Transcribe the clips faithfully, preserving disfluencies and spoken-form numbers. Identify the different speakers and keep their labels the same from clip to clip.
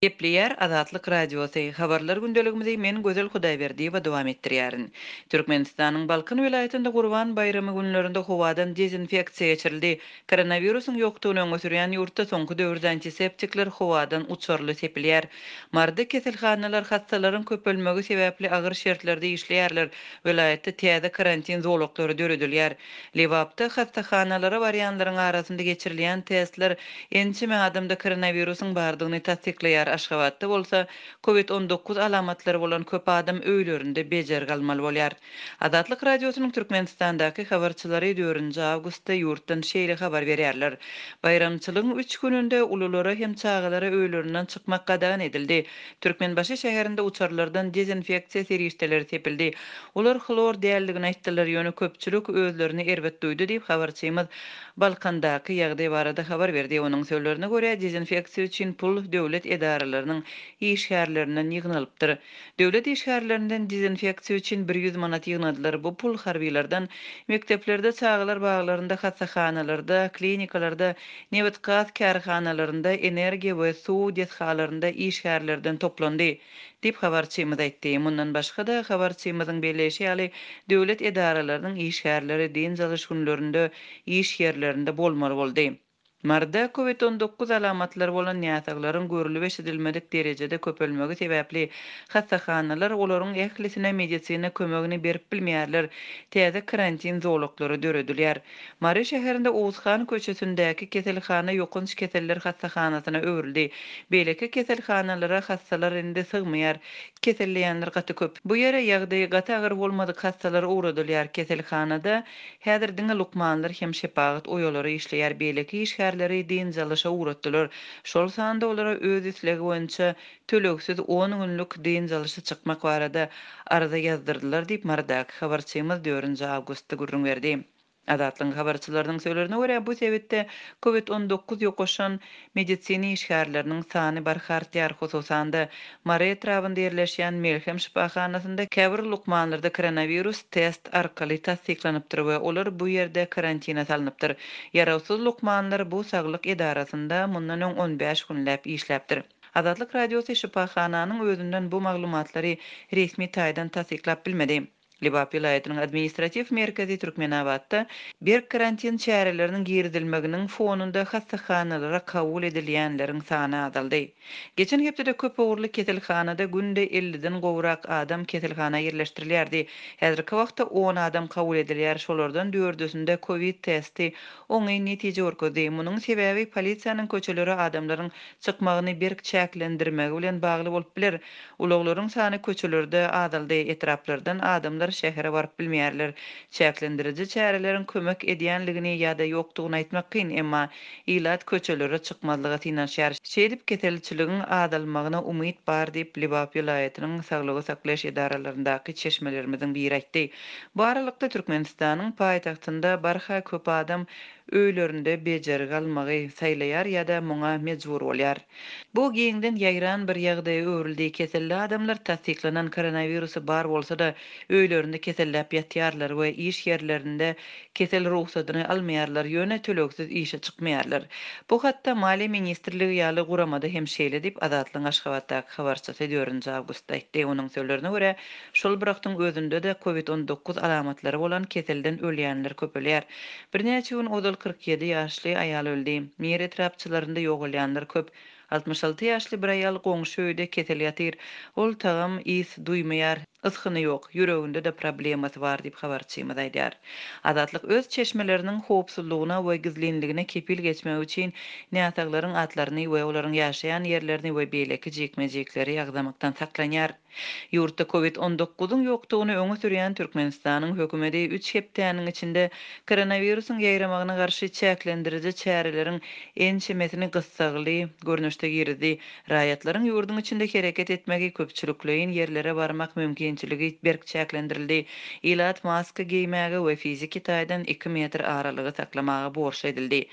Speaker 1: Gepleýär Azatlyk Radiosy, Habarlar gündeligimizi men Gözel Hudaýberdiýewa dowam etdirýärin. Türkmenistanyň Balkan welaýatynda Gurban baýramy günlerinde howadan dezinfeksiýa geçirildi. Koronawirusyň ýokdugyny öňe sürýän ýurtda soňky döwürde antiseptikler howadan uçarly sepilýär. Maryda keselhanalar hassalaryň köpelmegi sebäpli agyr şertlerde işleýärler. Welaýatda täze karantin zolaklary döredilýär. Lebapda hassahanalara barýanlaryň arasynda geçirilýän testler ençeme adamda koronawirusyň bardygyny tassyklaýar. Aşgabatda bolsa Covid on dokuz alamatlary bolan köp adam öýlerinde bejergi almaly bolýar. Azatlyk Radiosynyň Türkmenistandaky habarçylary dördünji awgustda ýurtdan şeýle habar berýärler. Baýramçylygyň üç gününde ululara hem çagalara öýlerinden çykmak gadagan edildi. Türkmenbaşy şäherinde uçarlardan dezinfeksiýa serişdeleri sepildi. Olar hlor däldigini aýtdylar, ýöne köpçülik özlerini erbet duýdy diýip habarçymyz Balkandaky ýagdaý barada habar berdi. Onuň sözlerine görä dezinfeksiýa üçin pul döwlet edaralarynyň işgärlerinden ýygnalypdyr. Döwlet işgärlerinden dezinfeksiýa üçin bir ýüz manat ýygnadylar. Bu pul harbilerden mekdeplerde, çagalar baglarynda, hassahanalarda, klinikalarda, nebit-gaz kärhanalarynda, energiýa we suw desgalarynda işgärlerden toplandy diýip habarçymyz aýtdy. Mundan başga da habarçymyzyň belleýşi ýaly döwlet edaralarynyň işgärleri dynç alyş günlerinde iş ýerlerinde bolmaly boldy. Maryda Covid on dokuz alamatlary bolan näsaglaryň görülip eşidilmedik derejede köpelmegi sebäpli hassahanalar olaryň ählisine medisina kömegini berip bilmeýärler. Täze karantin zolaklary döredilýär. Mary şäherinde Oğuzhan köçesindäki keselhana ýokanç keseller hassahanasyna öwrüldi. Beýleki keselhanalara hassalar indi sygmaýar. Keselleýänler gaty köp. Bu ýere ýagdaýy gaty agyr bolmadyk hassalar ugradylýar. Keselhanada häzir diňe lukmanlar hem şepagat oýalary işleýär. Beýleki işgärleri dynç alyşa ugratdylar. Şol sanda olara öz islegi boýunça tölegsiz on günlük dynç alyşa çykmak barada arza ýazdyrdylar diýip Marydaky habarçymyz dördünji awgustda gürrüň berdi. Azatlygyň habarçylarynyň sözlerine görä bu sebitde Covid on dokuz ýokaşan medisina işgärleriniň sany barha artýar. Hususan-da Mary etrabynda ýerleşýän Melhem şypahanasynda käbir lukmanlarda koronawirus test arkaly tassyklanypdyr we olar bu ýerde karantina salnypdyr. Ýarawsyz lukmanlar bu saglyk edarasynda mundan öň on bäş günläp işläpdir. Azatlyk Radiosy şypahananyň özünden bu maglumatlary resmi taýdan tassyklap bilmedi. Lebap welaýatynyň administratiw merkezi Türkmenabatda berk karantin çäreleriniň girizilmeginiň fonunda hassahanalara kabul edilýänleriň sany azaldy. Geçen hepdede köp ugurly keselhanada günde elliden gowrak adam keselhana ýerleşdirilýärdi. Häzirki wagtda on adam kabul edilýär. Şolardan dördüsinde Covid testi oňyn netije görkezdi. Munuň sebäbi polisiýanyň köçelere adamlaryň çykmagyny berk çäklendirmegi bilen bagly bolup biler. Ulaglaryň sany köçelerde azaldy. Etraplardan adamlar şähere baryp bilmeýärler. Çäklendiriji çäreleriň kömek edýänligini ýa-da ýokdugyny aýtmak kyn, emma ilat köçelere çykmazlyga synanyşýar. Şeýdip keselçiligiň azalmagyna umyt bar diýip Lebap welaýatynyň saglygy saklaýyş edaralaryndaky çeşmelerimiziň biri aýtdy. Bu aralykda Türkmenistanyň paýtagtynda barha köp adam öýlerinde bejergi almagy saýlaýar ýa-da muňa mejbur bolýar. Bu giňden ýaýran bir ýagdaýa öwrüldi. Keselli adamlar tassyklanan koronawirusy bar bolsa-da öýlerinde keselläp ýatýarlar we iş ýerlerinde kesel ruhsadyny almaýarlar, ýöne tölegsiz işe çykmaýarlar. Bu hatda Maliýe ministrligi ýaly guramada hem şeýle diýip Azatlygyň Aşgabatdaky habarçysy dördünji awgustda aýtdy. Onuň sözlerine görä, şol bir wagtyň özünde-de Covid on dokuz alamatlary bolan keselden ölýänler köpelýär. Birnäçe gün ozal kyrk ýedi ýaşly aýal öldi. Mir etrapçylarynda ýogalýanlar köp. Altmyş alty ýaşly bir aýal goňşy öýde kesel ýatyr. Ol tagam is duýmaýar, ysgyny ýok, ýüreginde de problemasy bar diýip habarçymyz aýdýar. Azatlyk öz çeşmeleriniň howpsuzlygyna we gizlinligine kepil geçmek üçin näsaglaryň atlaryny we olaryň ýaşaýan ýerlerini we beýleki jikme-jikleri ýagdamakdan saklanýar. Ýurtda Covid on dokuzyň ýokdugyny öňe sürýän Türkmenistanyň hökümeti üç hepdäniň içinde koronawirusyň ýaýramagyna garşy çäklendiriji çäreleriň ençemesini gyssagly görnüşde girizdi. Raýatlaryň ýurduň içinde hereket etmegi, köpçülikleýin ýerlere barmak mümkinçiligi berk çäklendirildi. Ilat maska geýmäge we fiziki taýdan iki metr aralygy saklamaga borçly edildi.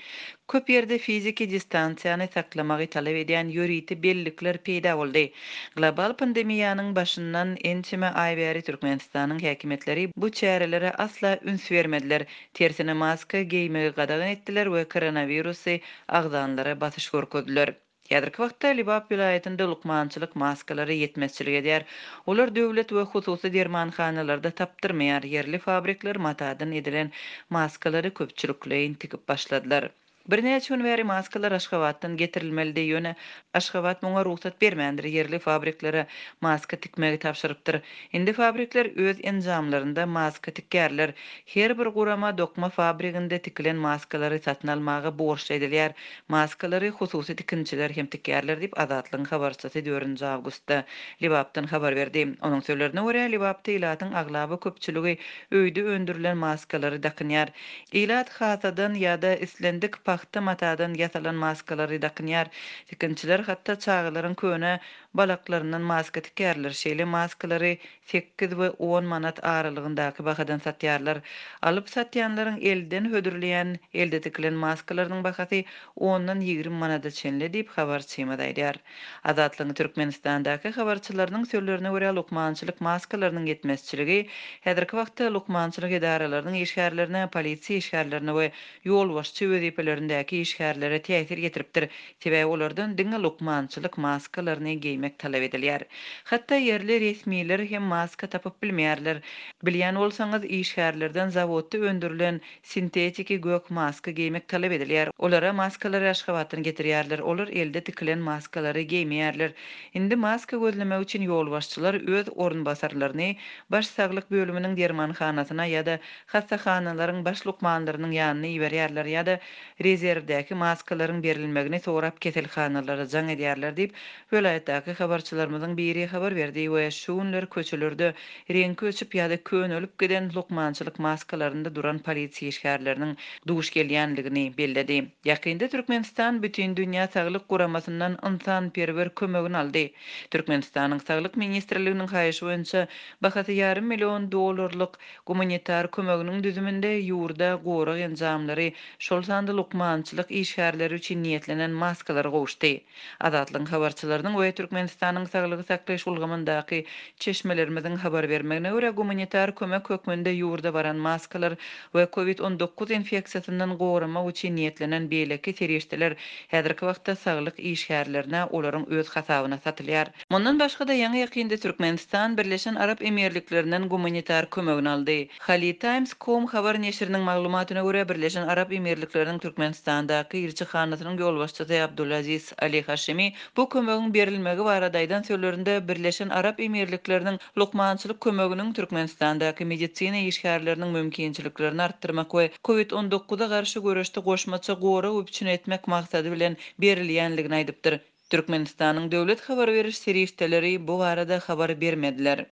Speaker 1: Köp ýerde fiziki distansiýany saklamagy talap edýän ýörite bellikler peýda boldy. Global pandemiýanyň başyndan ençeme aý bäri Türkmenistanyň häkimiýetleri bu çärelere asla üns bermediler. Tersine maska geýmegi gadagan etdiler we koronawirusy agzanlara basyş görkezdiler. Häzirki wagtda Lebap welaýatynda lukmançylyk maskalary ýetmezçilik edýär. Olar döwlet we hususy dermanhanalarda tapdyrmaýar. Ýerli fabrikler matadan edilen maskalary köpçülikleýin tikip başladylar. Birnäçe gün bäri maskalar Aşgabatdan getirilmelidi, ýöne Aşgabat muňa rugsat bermändir, ýerli fabriklere maska tikmegi tabşyrypdyr. Indi fabrikler öz enjamlarynda maska tikýärler. Her bir gurama dokma fabriginde tikilen maskalary satyn almaga borçly edilýär. Maskalary hususy tikinçiler hem tikýärler diýip, Azatlygyň habarçysy dördünji awgustda Lebapdan habar berdi. Onuň sözlerine görä, Lebapda ilatyň aglaba köpçüligi öýde öndürilen maskalary dakynýar. Ilat hasadan ýa-da islendik pagta matadan ýasalan maskalary dakynýar. Tikinçiler hatda çagalaryň köne balaklaryndan maska tikýärler. Şeýle maskalary sekiz we on manat aralygyndaky bahadan satýarlar. Alyp satýanlaryň elden hödürleýän elde tikilen maskalarynyň bahasy ondan ýigrimi manada çenli diýip habarçymyz aýdýar. Azatlygyň Türkmenistandaky habarçylarynyň sözlerine görä, lukmançylyk maskalarynyň ýetmezçiligi häzirki wagtda lukmançylyk edaralarynyň işgärlerine, polisiýa işgärlerine we ýolbaşçy wezipelerindäki işgärlere täsir ýetiripdir. Sebäbi olardan diňe lukmançylyk maskalaryny geýmek talap edilýär. Hatda ýerli resmiler hem maska tapyp bilmeýärler. Bilýän bolsaňyz, işgärlerden zawodda öndürilen sintetiki gök maska geýmek talap edilýär. Olara maskalary Aşgabatdan getirýärler. Olar elde tikilen maskalary geýmeýärler. Indi maska gözlemek üçin ýolbaşçylar öz orunbasarlaryny baş saglyk bölüminiň dermanhanasyna ýa-da hassahanalaryň baş lukmanlarynyň ýanyna iberýärler ýa-da rezerwdäki maskalaryň berilmegini sorap keselhanalara jaň edýärler diýip, welaýatdaky habarçylarymyzyň biri habar berdi we şu günler köçelerde reňki öçüp ýa-da könelip giden lukmançylyk maskalarynda duran polisiýa işgärleriniň duş gelýänligini belledi. Ýakynda Türkmenistan Bütindünýä Saglyk Guramasyndan ynsanperwer kömegini aldy. Türkmenistanyň Saglyk ministrliginiň haýyşy boýunça bahasy ýarym million dollarlyk gumanitar kömeginiň düzüminde ýurda gorag enjamlary, şol sanda lukmançylyk işgärleri üçin niýetlenen maskalar gowuşdy. Azatlygyň habarçylarynyň we Türkmenistanyň saglygy saklaýyş ulgamyndaky çeşmelerimiziň habar bermegine görä, gumanitar kömek hökmünde ýurda baran maskalar we COVID on dokuz infeksiýasyndan goramak üçin niýetlenen beýleki serişdeler häzirki wagtda saglyk işgärlerine olaryň öz hasabyna satylýar. Mundan başga-da ýaňy ýakynda Türkmenistan Birleşen Arap Emirliklerinden gumanitar kömegini aldy. Khaleej Times com habar neşiriniň maglumatyna görä, Birleşen Arap Emirlikleriniň Türkmenistandaky ilçihanasynyň ýolbaşçysy Abdulaziz Ali Haşimi bu kömegiň berilmegi barada aýdan sözlerinde Birleşen Arap Emirlikleriniň lukmançylyk kömeginiň Türkmenistandaky medisina işgärleriniň mümkinçiliklerini artdyrmak we COVID on dokuza garşy göreşde goşmaça gorag üpjün etmek maksady bilen berilýänligini aýdypdyr. Türkmenistanyň döwlet habar beriş serişdeleri bu barada habar bermediler.